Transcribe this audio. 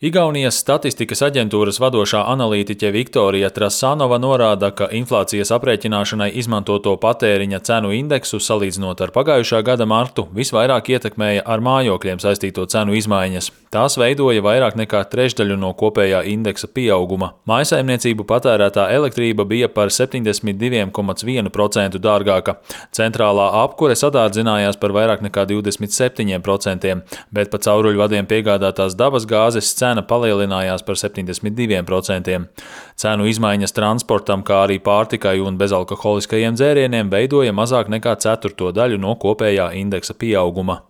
Igaunijas statistikas aģentūras vadošā analītiķe Viktorija Trasanova norāda, ka inflācijas aprēķināšanai izmantoto patēriņa cenu indeksu salīdzinot ar pagājušā gada martu visvairāk ietekmēja ar mājokļiem saistīto cenu izmaiņas. Tās veidoja vairāk nekā trešdaļu no kopējā indeksa pieauguma. Mājsaimniecību patērētā elektrība bija par 72,1% dārgāka. Centrālā apkure sadārdzinājās par vairāk nekā 27%, bet pa cauruļvadiem piegādātās dabas gāzes cena palielinājās par 72%. Cenu izmaiņas transportam, kā arī pārtikai un bezalkoholiskajiem dzērieniem veidoja mazāk nekā ceturto daļu no kopējā indeksa pieauguma.